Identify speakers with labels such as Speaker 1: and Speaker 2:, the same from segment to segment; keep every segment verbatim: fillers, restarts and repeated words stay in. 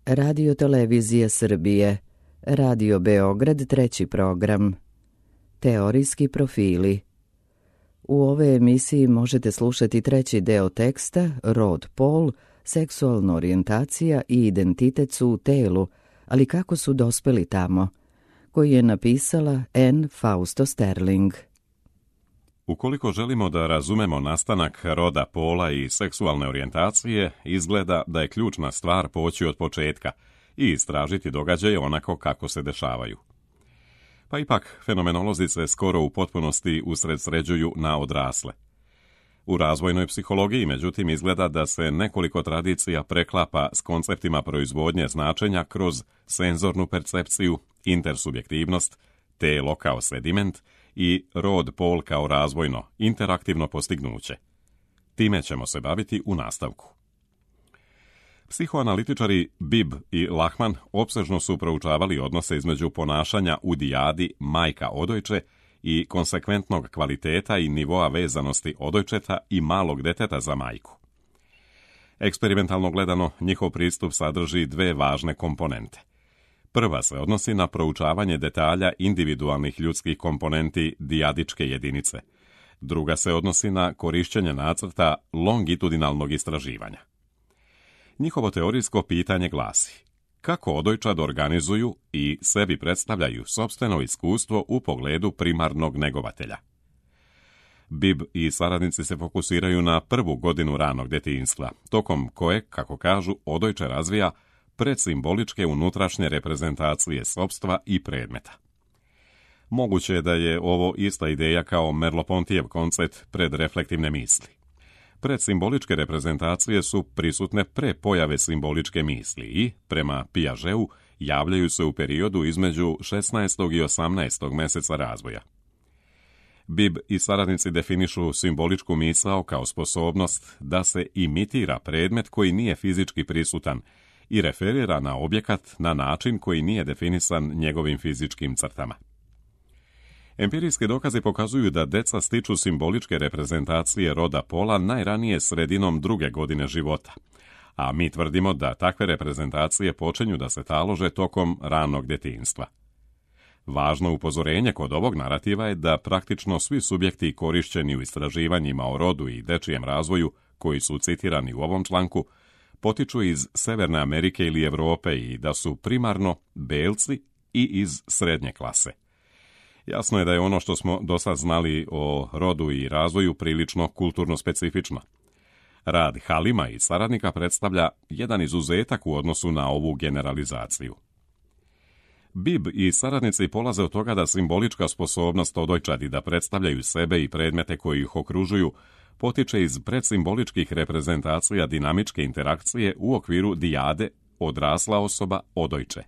Speaker 1: Radio Televizije Srbije, Radio Beograd treći program, Teorijski profili. U ove emisiji možete slušati treći deo teksta Rod, pol, seksualna orijentacija i identitet su u telu, ali kako su dospeli tamo, koji je napisala Anne Fausto Sterling.
Speaker 2: Ukoliko želimo da razumemo nastanak roda, pola i seksualne orijentacije, izgleda da je ključna stvar poći od početka i istražiti događaje onako kako se dešavaju. Pa ipak, fenomenolozi se skoro u potpunosti usredsređuju na odrasle. U razvojnoj psihologiji, međutim, izgleda da se nekoliko tradicija preklapa s konceptima proizvodnje značenja kroz senzornu percepciju, intersubjektivnost, telo kao sediment i rod, pol kao razvojno, interaktivno postignuće. Time ćemo se baviti u nastavku. Psihoanalitičari Bibb i Lachman opsežno su proučavali odnose između ponašanja u dijadi majka odojče i konsekventnog kvaliteta i nivoa vezanosti odojčeta i malog deteta za majku. Eksperimentalno gledano, njihov pristup sadrži dve važne komponente. Prva se odnosi na proučavanje detalja individualnih ljudskih komponenti dijadičke jedinice. Druga se odnosi na korišćenje nacrta longitudinalnog istraživanja. Njihovo teorijsko pitanje glasi: kako odojčad organizuju i sebi predstavljaju sopstveno iskustvo u pogledu primarnog negovatelja? Bibb i saradnici se fokusiraju na prvu godinu ranog djetinjstva, tokom koje, kako kažu, odojče razvija predsimboličke unutrašnje reprezentacije sopstva i predmeta. Moguće je da je ovo ista ideja kao Merleau-Pontijev koncept predreflektivne misli. Predsimboličke reprezentacije su prisutne pre pojave simboličke misli i, prema Piageu, javljaju se u periodu između šesnaestog i osamnaestog mjeseca razvoja. Bibb i saradnici definišu simboličku misao kao sposobnost da se imitira predmet koji nije fizički prisutan i referira na objekat na način koji nije definisan njegovim fizičkim crtama. Empirijski dokazi pokazuju da deca stiču simboličke reprezentacije roda, pola najranije sredinom druge godine života, a mi tvrdimo da takve reprezentacije počinju da se talože tokom ranog djetinjstva. Važno upozorenje kod ovog narativa je da praktično svi subjekti korišćeni u istraživanjima o rodu i dečijem razvoju, koji su citirani u ovom članku, potiču iz Severne Amerike ili Europe i da su primarno belci i iz srednje klase. Jasno je da je ono što smo do sad znali o rodu i razvoju prilično kulturno specifično. Rad Halima i saradnika predstavlja jedan izuzetak u odnosu na ovu generalizaciju. Bibb i saradnici polaze od toga da simbolička sposobnost odojčadi da predstavljaju sebe i predmete koji ih okružuju potiče iz predsimboličkih reprezentacija dinamičke interakcije u okviru dijade odrasla osoba odojče.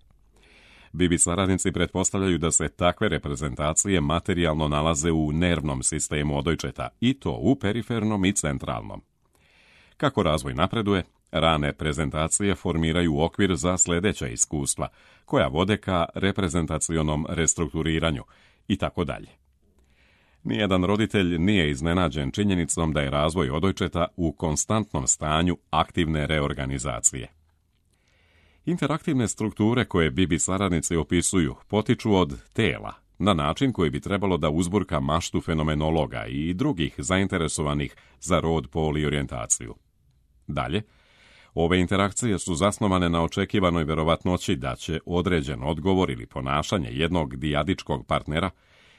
Speaker 2: Bibb i saradnici pretpostavljaju da se takve reprezentacije materijalno nalaze u nervnom sistemu odojčeta, i to u perifernom i centralnom. Kako razvoj napreduje, rane prezentacije formiraju okvir za sljedeća iskustva, koja vode ka reprezentacionom restrukturiranju i tako dalje. Nijedan roditelj nije iznenađen činjenicom da je razvoj odojčeta u konstantnom stanju aktivne reorganizacije. Interaktivne strukture koje Bibb i saradnici opisuju potiču od tela, na način koji bi trebalo da uzburka maštu fenomenologa i drugih zainteresovanih za rod, pol i orijentaciju. Dalje, ove interakcije su zasnovane na očekivanoj verovatnoći da će određen odgovor ili ponašanje jednog dijadičkog partnera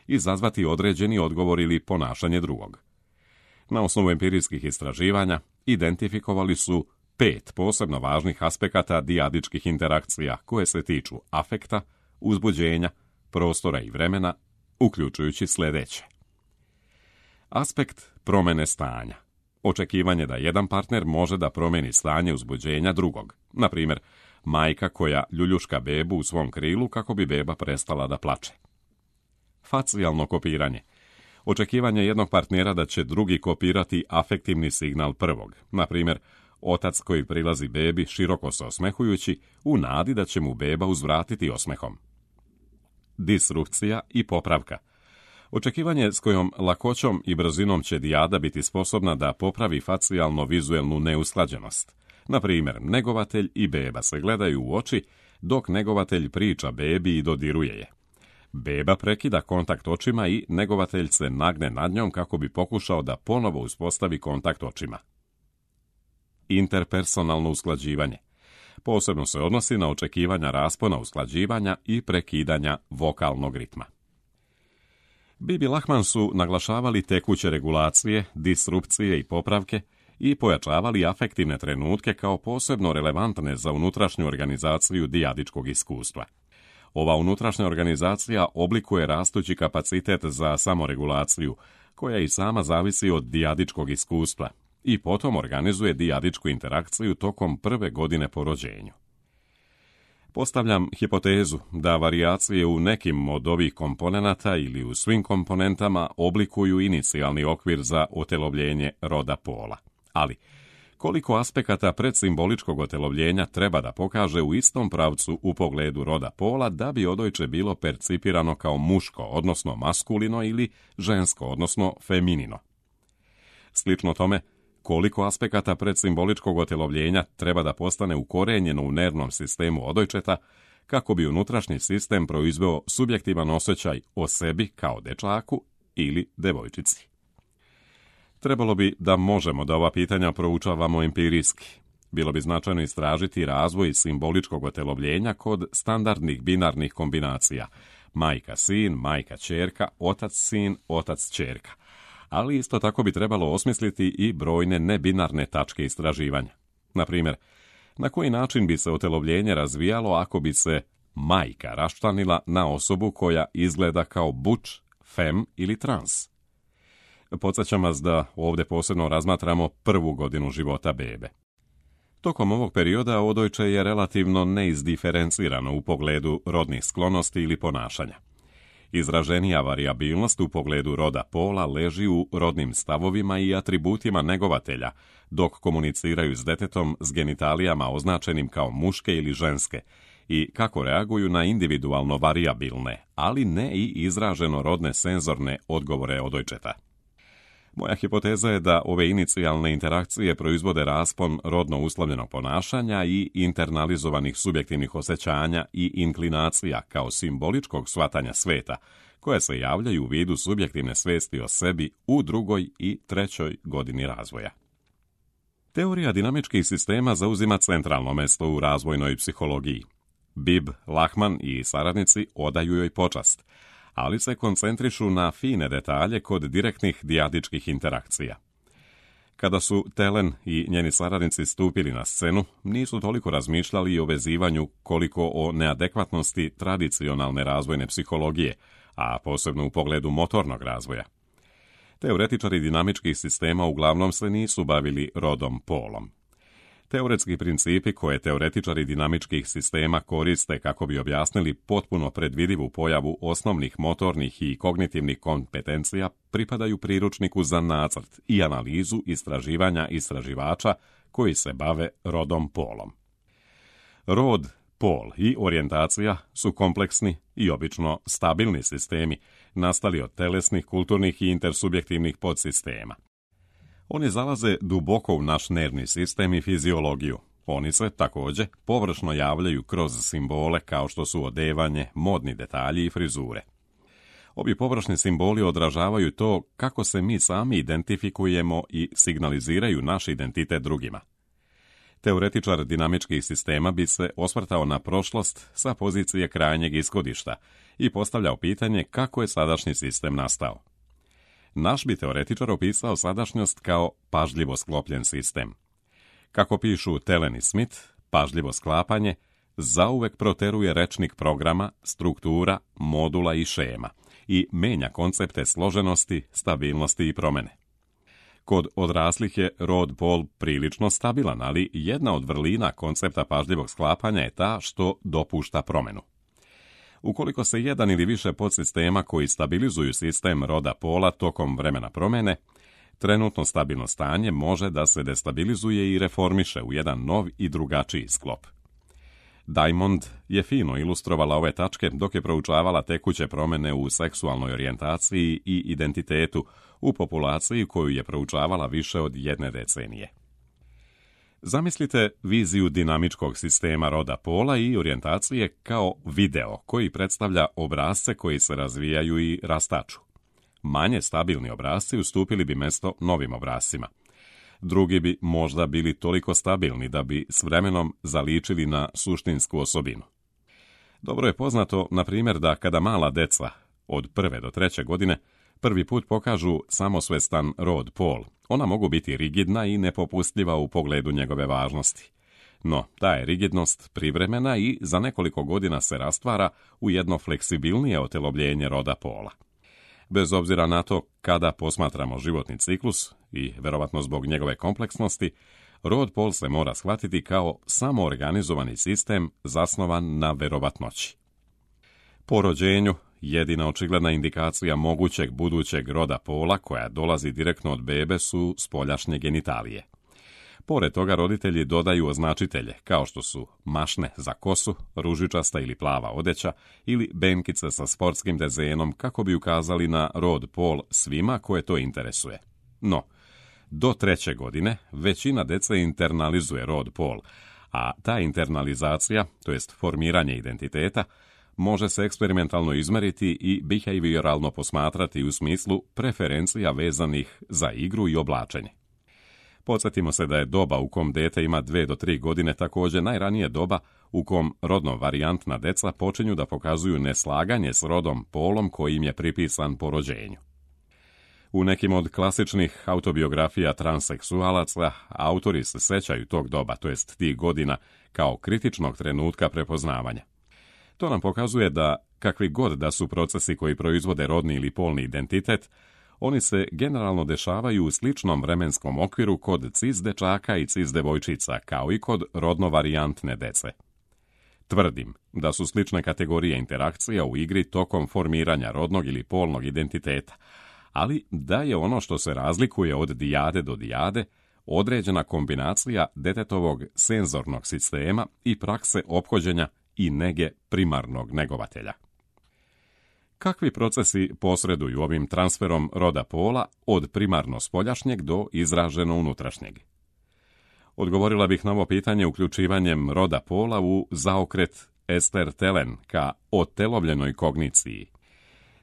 Speaker 2: izazvati određeni odgovor ili ponašanje drugog. Na osnovu empirijskih istraživanja identifikovali su pet posebno važnih aspekata dijadičkih interakcija koje se tiču afekta, uzbuđenja, prostora i vremena, uključujući sljedeće. Aspekt promjene stanja. Očekivanje da jedan partner može da promijeni stanje uzbuđenja drugog. Na primjer, majka koja ljuljuška bebu u svom krilu kako bi beba prestala da plače. Facijalno kopiranje. Očekivanje jednog partnera da će drugi kopirati afektivni signal prvog. Na primjer, otac koji prilazi bebi široko se osmehujući u nadi da će mu beba uzvratiti osmehom. Disrupcija i popravka. Očekivanje s kojom lakoćom i brzinom će dijada biti sposobna da popravi facijalno-vizuelnu neusklađenost. Na primjer, negovatelj i beba se gledaju u oči, dok negovatelj priča bebi i dodiruje je. Beba prekida kontakt očima i negovatelj se nagne nad njom kako bi pokušao da ponovo uspostavi kontakt očima. Interpersonalno usklađivanje. Posebno se odnosi na očekivanja raspona usklađivanja i prekidanja vokalnog ritma. Bibi i Lachman su naglašavali tekuće regulacije, disrupcije i popravke i pojačavali afektivne trenutke kao posebno relevantne za unutrašnju organizaciju dijadičkog iskustva. Ova unutrašnja organizacija oblikuje rastući kapacitet za samoregulaciju, koja i sama zavisi od dijadičkog iskustva, i potom organizuje dijadičku interakciju tokom prve godine po rođenju. Postavljam hipotezu da varijacije u nekim od ovih komponenata ili u svim komponentama oblikuju inicijalni okvir za otelovljenje roda pola. Ali, koliko aspekata predsimboličkog otelovljenja treba da pokaže u istom pravcu u pogledu roda pola da bi odojče bilo percipirano kao muško, odnosno maskulino, ili žensko, odnosno feminino? Slično tome, koliko aspekata predsimboličkog otelovljenja treba da postane ukorenjeno u nervnom sistemu odojčeta kako bi unutrašnji sistem proizveo subjektivan osjećaj o sebi kao dečaku ili devojčici? Trebalo bi da možemo da ova pitanja proučavamo empirijski. Bilo bi značajno istražiti razvoj simboličkog otelovljenja kod standardnih binarnih kombinacija majka-sin, majka-ćerka, otac-sin, otac-ćerka. Ali isto tako bi trebalo osmisliti i brojne nebinarne tačke istraživanja. Na primjer, na koji način bi se otelovljenje razvijalo ako bi se majka raščlanila na osobu koja izgleda kao buč, fem ili trans? Podsjećam vas da ovdje posebno razmatramo prvu godinu života bebe. Tokom ovog perioda odojče je relativno neizdiferencirano u pogledu rodnih sklonosti ili ponašanja. Izraženija varijabilnost u pogledu roda pola leži u rodnim stavovima i atributima negovatelja, dok komuniciraju s detetom s genitalijama označenim kao muške ili ženske i kako reaguju na individualno varijabilne, ali ne i izraženo rodne senzorne odgovore odojčeta. Moja hipoteza je da ove inicijalne interakcije proizvode raspon rodno uslovljenog ponašanja i internalizovanih subjektivnih osjećanja i inklinacija kao simboličkog shvatanja sveta, koje se javljaju u vidu subjektivne svesti o sebi u drugoj i trećoj godini razvoja. Teorija dinamičkih sistema zauzima centralno mesto u razvojnoj psihologiji. Bibb, Lachman i saradnici odaju joj počast, ali se koncentrišu na fine detalje kod direktnih dijadičkih interakcija. Kada su Telen i njeni saradnici stupili na scenu, nisu toliko razmišljali o vezivanju koliko o neadekvatnosti tradicionalne razvojne psihologije, a posebno u pogledu motornog razvoja. Teoretičari dinamičkih sistema uglavnom se nisu bavili rodom polom. Teoretski principi koje teoretičari dinamičkih sistema koriste kako bi objasnili potpuno predvidivu pojavu osnovnih motornih i kognitivnih kompetencija pripadaju priručniku za nacrt i analizu istraživanja istraživača koji se bave rodom polom. Rod, pol i orijentacija su kompleksni i obično stabilni sistemi nastali od telesnih, kulturnih i intersubjektivnih podsistema. Oni zalaze duboko u naš nervni sistem i fiziologiju. Oni se, također, površno javljaju kroz simbole kao što su odevanje, modni detalji i frizure. Ovi površni simboli odražavaju to kako se mi sami identifikujemo i signaliziraju naš identitet drugima. Teoretičar dinamičkih sistema bi se osvrtao na prošlost sa pozicije krajnjeg ishodišta i postavljao pitanje kako je sadašnji sistem nastao. Naš bi teoretičar opisao sadašnjost kao pažljivo sklopljen sistem. Kako pišu Telen i Smith, pažljivo sklapanje zauvek proteruje rečnik programa, struktura, modula i šema i menja koncepte složenosti, stabilnosti i promene. Kod odraslih je rod pol prilično stabilan, ali jedna od vrlina koncepta pažljivog sklapanja je ta što dopušta promenu. Ukoliko se jedan ili više podsistema koji stabilizuju sistem roda pola tokom vremena promene, trenutno stabilno stanje može da se destabilizuje i reformiše u jedan nov i drugačiji sklop. Diamond je fino ilustrovala ove tačke dok je proučavala tekuće promene u seksualnoj orijentaciji i identitetu u populaciji koju je proučavala više od jedne decenije. Zamislite viziju dinamičkog sistema roda pola i orijentacije kao video koji predstavlja obrasce koji se razvijaju i rastaču. Manje stabilni obrasci ustupili bi mjesto novim obrascima. Drugi bi možda bili toliko stabilni da bi s vremenom zaličili na suštinsku osobinu. Dobro je poznato, na primjer, da kada mala deca od prve do treće godine prvi put pokažu samosvestan rod pol, ona mogu biti rigidna i nepopustljiva u pogledu njegove važnosti. No, ta je rigidnost privremena i za nekoliko godina se rastvara u jedno fleksibilnije otelobljenje roda pola. Bez obzira na to kada posmatramo životni ciklus i verovatno zbog njegove kompleksnosti, rod pol se mora shvatiti kao samoorganizovani sistem zasnovan na verovatnoći. Po rođenju, jedina očigledna indikacija mogućeg budućeg roda pola koja dolazi direktno od bebe su spoljašnje genitalije. Pored toga roditelji dodaju označitelje kao što su mašne za kosu, ružičasta ili plava odeća ili benkice sa sportskim dezenom kako bi ukazali na rod pol svima koje to interesuje. No, do treće godine većina dece internalizuje rod pol, a ta internalizacija, to jest formiranje identiteta, može se eksperimentalno izmeriti i behavioralno posmatrati u smislu preferencija vezanih za igru i oblačenje. Podsjetimo se da je doba u kom dete ima dve do tri godine također najranije doba u kom rodno varijantna deca počinju da pokazuju neslaganje s rodom polom koji im je pripisan po rođenju. U nekim od klasičnih autobiografija transseksualaca autori se sećaju tog doba, to jest tih godina, kao kritičnog trenutka prepoznavanja. To nam pokazuje da, kakvi god da su procesi koji proizvode rodni ili polni identitet, oni se generalno dešavaju u sličnom vremenskom okviru kod cis dečaka i cis devojčica, kao i kod rodno varijantne dece. Tvrdim da su slične kategorije interakcija u igri tokom formiranja rodnog ili polnog identiteta, ali da je ono što se razlikuje od dijade do dijade određena kombinacija detetovog senzornog sistema i prakse ophođenja i nege primarnog negovatelja. Kakvi procesi posreduju ovim transferom roda pola od primarno spoljašnjeg do izraženo unutrašnjeg? Odgovorila bih na ovo pitanje uključivanjem roda pola u zaokret Ester Telen ka otelovljenoj kogniciji.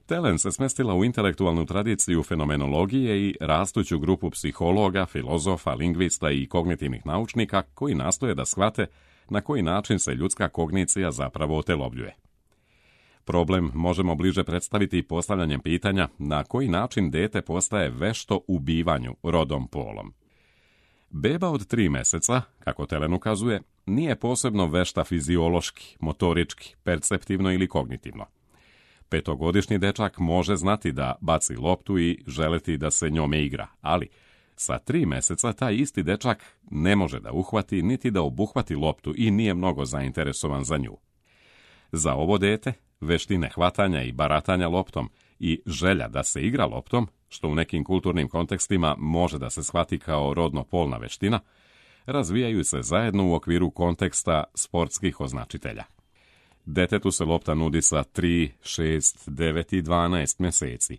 Speaker 2: Telen se smestila u intelektualnu tradiciju fenomenologije i rastuću grupu psihologa, filozofa, lingvista i kognitivnih naučnika koji nastoje da shvate na koji način se ljudska kognicija zapravo otelovljuje. Problem možemo bliže predstaviti postavljanjem pitanja na koji način dete postaje vešto u bivanju rodom polom. Beba od tri meseca, kako Telen ukazuje, nije posebno vešta fiziološki, motorički, perceptivno ili kognitivno. Petogodišnji dečak može znati da baci loptu i želeti da se njome igra, ali sa tri meseca taj isti dečak ne može da uhvati niti da obuhvati loptu i nije mnogo zainteresovan za nju. Za ovo dete, veštine hvatanja i baratanja loptom i želja da se igra loptom, što u nekim kulturnim kontekstima može da se shvati kao rodno-polna veština, razvijaju se zajedno u okviru konteksta sportskih označitelja. Detetu se lopta nudi sa tri, šest, devet i dvanaest mjeseci.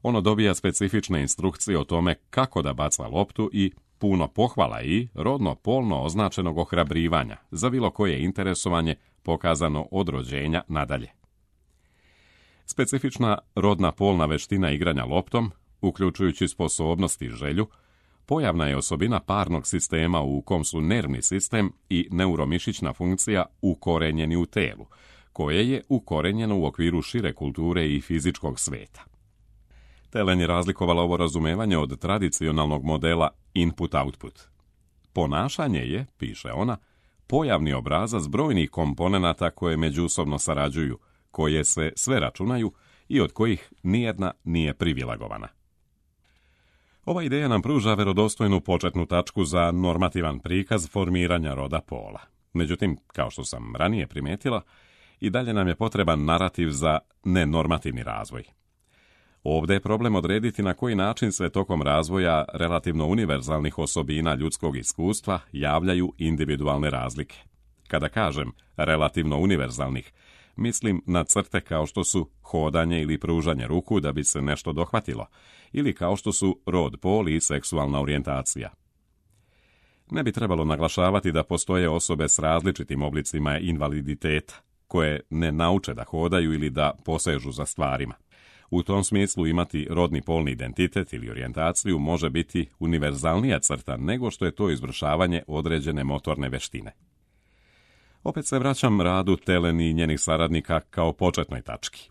Speaker 2: Ono dobija specifične instrukcije o tome kako da baca loptu i puno pohvala i rodno-polno označenog ohrabrivanja za bilo koje interesovanje pokazano od rođenja nadalje. Specifična rodna polna veština igranja loptom, uključujući sposobnost i želju, pojavna je osobina parnog sistema u kom su nervni sistem i neuromišićna funkcija ukorenjeni u telu, koje je ukorenjeno u okviru šire kulture i fizičkog sveta. Telen je razlikovala ovo razumevanje od tradicionalnog modela input-output. Ponašanje je, piše ona, pojavni obrazac brojnih komponenata koje međusobno sarađuju, koje se sve računaju i od kojih nijedna nije privilegovana. Ova ideja nam pruža verodostojnu početnu tačku za normativan prikaz formiranja roda pola. Međutim, kao što sam ranije primetila, i dalje nam je potreban narativ za nenormativni razvoj. Ovdje je problem odrediti na koji način se tokom razvoja relativno univerzalnih osobina ljudskog iskustva javljaju individualne razlike. Kada kažem relativno univerzalnih, mislim na crte kao što su hodanje ili pružanje ruku da bi se nešto dohvatilo, ili kao što su rod, pol i seksualna orijentacija. Ne bi trebalo naglašavati da postoje osobe s različitim oblicima invaliditeta, koje ne nauče da hodaju ili da posežu za stvarima. U tom smislu imati rodni polni identitet ili orijentaciju može biti univerzalnija crta nego što je to izvršavanje određene motorne veštine. Opet se vraćam radu Teleni i njenih saradnika kao početnoj tački.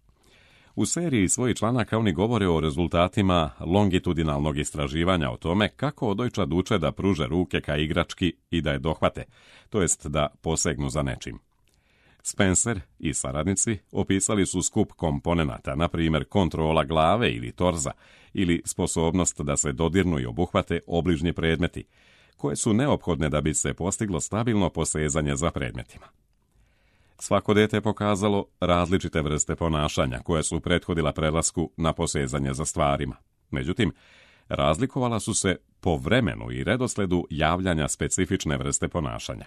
Speaker 2: U seriji svojih članaka oni govore o rezultatima longitudinalnog istraživanja o tome kako odojčad uče da pruže ruke ka igrački i da je dohvate, to jest da posegnu za nečim. Spencer i saradnici opisali su skup komponenata, na primjer kontrola glave ili torza, ili sposobnost da se dodirnu i obuhvate obližnji predmeti, koje su neophodne da bi se postiglo stabilno posezanje za predmetima. Svako dete je pokazalo različite vrste ponašanja koje su prethodila prelasku na posezanje za stvarima. Međutim, razlikovala su se po vremenu i redosledu javljanja specifične vrste ponašanja.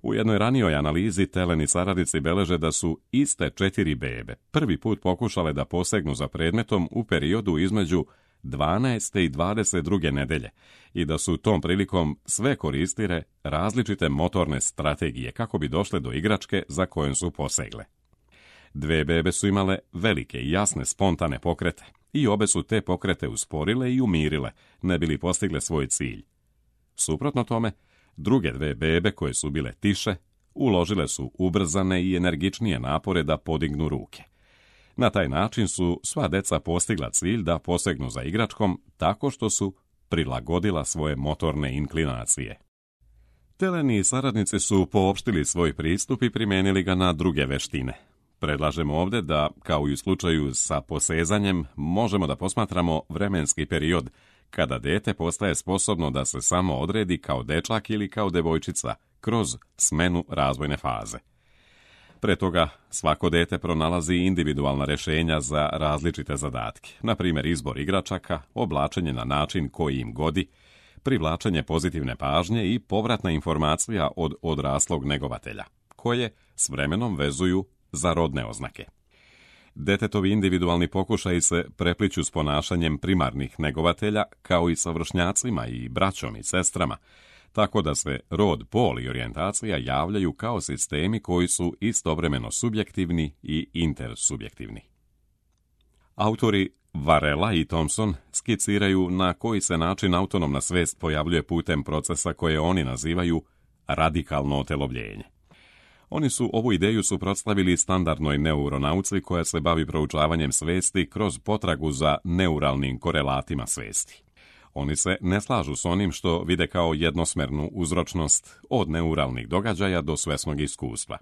Speaker 2: U jednoj ranijoj analizi Teleni saradnici beleže da su iste četiri bebe prvi put pokušale da posegnu za predmetom u periodu između dvanaeste i dvadeset druge nedelje i da su tom prilikom sve koristile različite motorne strategije kako bi došle do igračke za kojom su posegle. Dve bebe su imale velike i jasne spontane pokrete i obe su te pokrete usporile i umirile, ne bili postigle svoj cilj. Suprotno tome, druge dve bebe koje su bile tiše, uložile su ubrzane i energičnije napore da podignu ruke. Na taj način su sva deca postigla cilj da posegnu za igračkom tako što su prilagodila svoje motorne inklinacije. Teleni i saradnici su poopštili svoj pristup i primijenili ga na druge veštine. Predlažemo ovdje da, kao i u slučaju sa posezanjem, možemo da posmatramo vremenski period kada dete postaje sposobno da se samo odredi kao dečak ili kao devojčica kroz smenu razvojne faze. Pre toga, svako dete pronalazi individualna rješenja za različite zadatke, na primjer izbor igračaka, oblačenje na način koji im godi, privlačenje pozitivne pažnje i povratna informacija od odraslog negovatelja, koje s vremenom vezuju za rodne oznake. Detetovi individualni pokušaji se prepliću s ponašanjem primarnih negovatelja, kao i sa vršnjacima i braćom i sestrama, tako da se rod, pol i orijentacija javljaju kao sistemi koji su istovremeno subjektivni i intersubjektivni. Autori Varela i Thompson skiciraju na koji se način autonomna svest pojavljuje putem procesa koje oni nazivaju radikalno otelovljenje. Oni su ovu ideju suprotstavili standardnoj neuronauci koja se bavi proučavanjem svesti kroz potragu za neuralnim korelatima svesti. Oni se ne slažu s onim što vide kao jednosmernu uzročnost od neuralnih događaja do svesnog iskustva.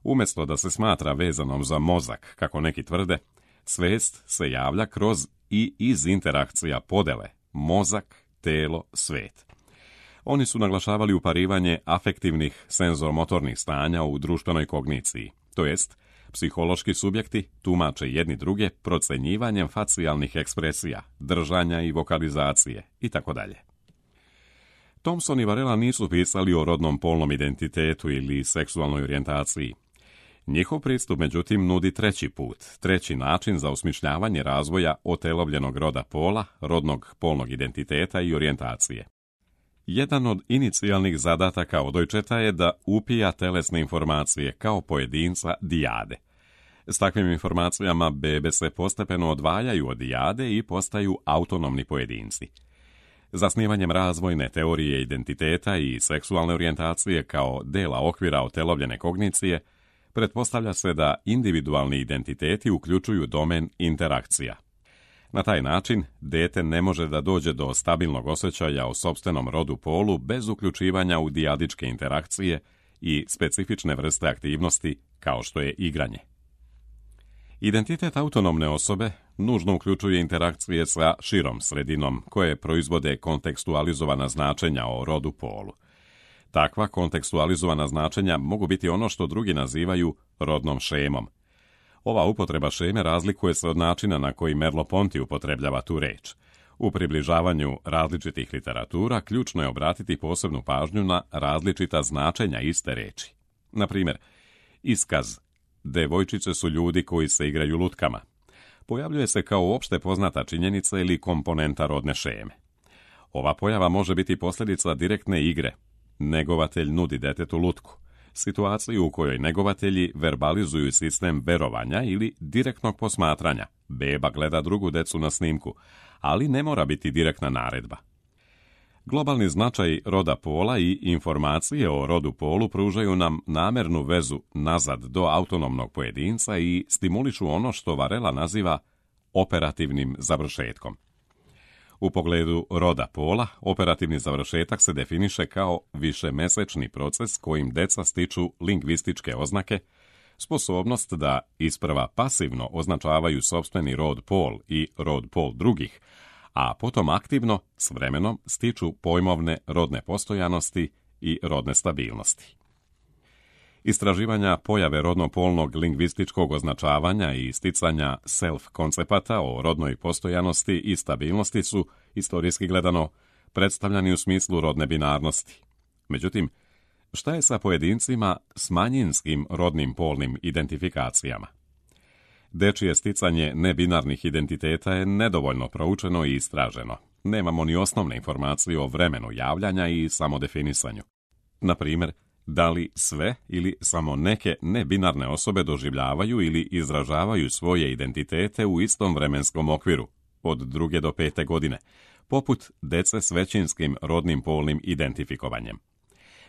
Speaker 2: Umjesto da se smatra vezanom za mozak, kako neki tvrde, svest se javlja kroz i iz interakcija podele mozak, telo, svet. Oni su naglašavali uparivanje afektivnih senzoromotornih stanja u društvenoj kogniciji, to jest psihološki subjekti tumače jedni druge procenjivanjem facijalnih ekspresija, držanja i vokalizacije itd. Thompson i Varela nisu pisali o rodnom polnom identitetu ili seksualnoj orijentaciji. Njihov pristup, međutim, nudi treći put, treći način za osmišljavanje razvoja otelovljenog roda pola, rodnog polnog identiteta i orijentacije. Jedan od inicijalnih zadataka odojčeta je da upija telesne informacije kao pojedinca dijade. S takvim informacijama bebe se postepeno odvajaju od dijade i postaju autonomni pojedinci. Zasnivanjem razvojne teorije identiteta i seksualne orijentacije kao dela okvira otelovljene kognicije, pretpostavlja se da individualni identiteti uključuju domen interakcija. Na taj način, dete ne može da dođe do stabilnog osjećaja o sopstvenom rodu polu bez uključivanja u dijadičke interakcije i specifične vrste aktivnosti kao što je igranje. Identitet autonomne osobe nužno uključuje interakcije sa širom sredinom koje proizvode kontekstualizovana značenja o rodu polu. Takva kontekstualizovana značenja mogu biti ono što drugi nazivaju rodnom šemom. Ova upotreba šeme razlikuje se od načina na koji Merleau-Ponty upotrebljava tu reč. U približavanju različitih literatura ključno je obratiti posebnu pažnju na različita značenja iste reči. Na primjer, iskaz devojčice su ljudi koji se igraju lutkama pojavljuje se kao opšte poznata činjenica ili komponenta rodne šeme. Ova pojava može biti posljedica direktne igre. Negovatelj nudi detetu lutku, situaciju u kojoj negovatelji verbalizuju sistem verovanja ili direktnog posmatranja. Beba gleda drugu decu na snimku, ali ne mora biti direktna naredba. Globalni značaj roda pola i informacije o rodu polu pružaju nam namernu vezu nazad do autonomnog pojedinca i stimulišu ono što Varela naziva operativnim završetkom. U pogledu roda pola, operativni završetak se definiše kao višemesečni proces kojim deca stiču lingvističke oznake, sposobnost da isprva pasivno označavaju sopstveni rod pol i rod pol drugih, a potom aktivno, s vremenom, stiču pojmovne rodne postojanosti i rodne stabilnosti. Istraživanja pojave rodno-polnog lingvističkog označavanja i isticanja self-koncepata o rodnoj postojanosti i stabilnosti su, istorijski gledano, predstavljani u smislu rodne binarnosti. Međutim, šta je sa pojedincima s manjinskim rodnim polnim identifikacijama? Dečije sticanje nebinarnih identiteta je nedovoljno proučeno i istraženo. Nemamo ni osnovne informacije o vremenu javljanja i samodefinisanju. Na primjer, da li sve ili samo neke nebinarne osobe doživljavaju ili izražavaju svoje identitete u istom vremenskom okviru, od druge do pete godine, poput dece s većinskim rodnim polnim identifikovanjem.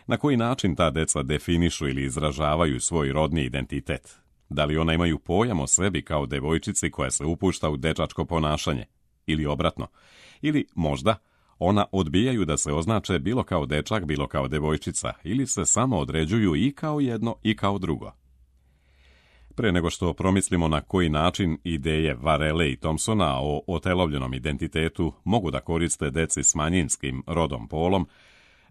Speaker 2: Na koji način ta deca definišu ili izražavaju svoj rodni identitet? Da li ona imaju pojam o sebi kao devojčici koja se upušta u dečačko ponašanje? Ili obratno? Ili možda ona odbijaju da se označe bilo kao dečak, bilo kao devojčica, ili se samo određuju i kao jedno i kao drugo. Pre nego što promislimo na koji način ideje Varele i Thompsona o otelovljenom identitetu mogu da koriste deci s manjinskim rodom polom,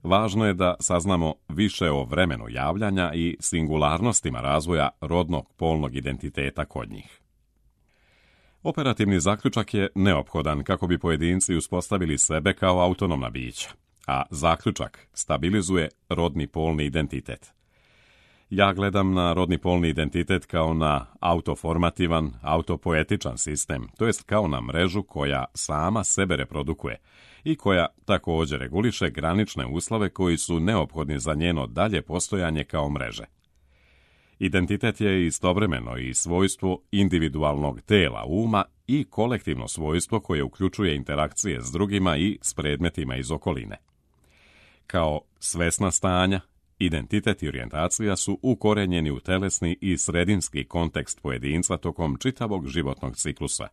Speaker 2: važno je da saznamo više o vremenu javljanja i singularnostima razvoja rodnog polnog identiteta kod njih. Operativni zaključak je neophodan kako bi pojedinci uspostavili sebe kao autonomna bića, a zaključak stabilizuje rodni polni identitet. Ja gledam na rodni polni identitet kao na autoformativan, autopoetičan sistem, to jest kao na mrežu koja sama sebe reprodukuje i koja također reguliše granične uslove koji su neophodni za njeno dalje postojanje kao mreže. Identitet je istovremeno i svojstvo individualnog tela uma i kolektivno svojstvo koje uključuje interakcije s drugima i s predmetima iz okoline. Kao svesna stanja, identitet i orijentacija su ukorenjeni u telesni i sredinski kontekst pojedinca tokom čitavog životnog ciklusa.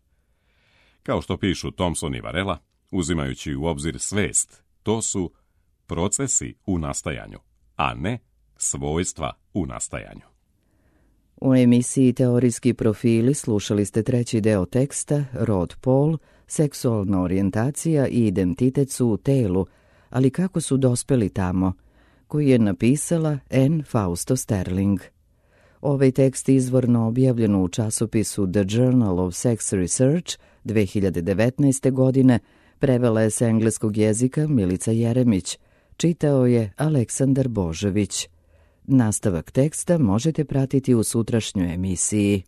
Speaker 2: Kao što pišu Thompson i Varela, uzimajući u obzir svest, to su procesi u nastajanju, a ne svojstva u nastajanju.
Speaker 1: U emisiji Teorijski profili slušali ste treći deo teksta Rod pol, seksualna orijentacija i identitet su u telu, ali kako su dospeli tamo, koji je napisala Anne Fausto Sterling. Ovaj tekst izvorno objavljen u časopisu The Journal of Sex Research dve hiljade devetnaeste. godine prevela je s engleskog jezika Milica Jeremić, čitao je Aleksandar Božović. Nastavak teksta možete pratiti u sutrašnjoj emisiji.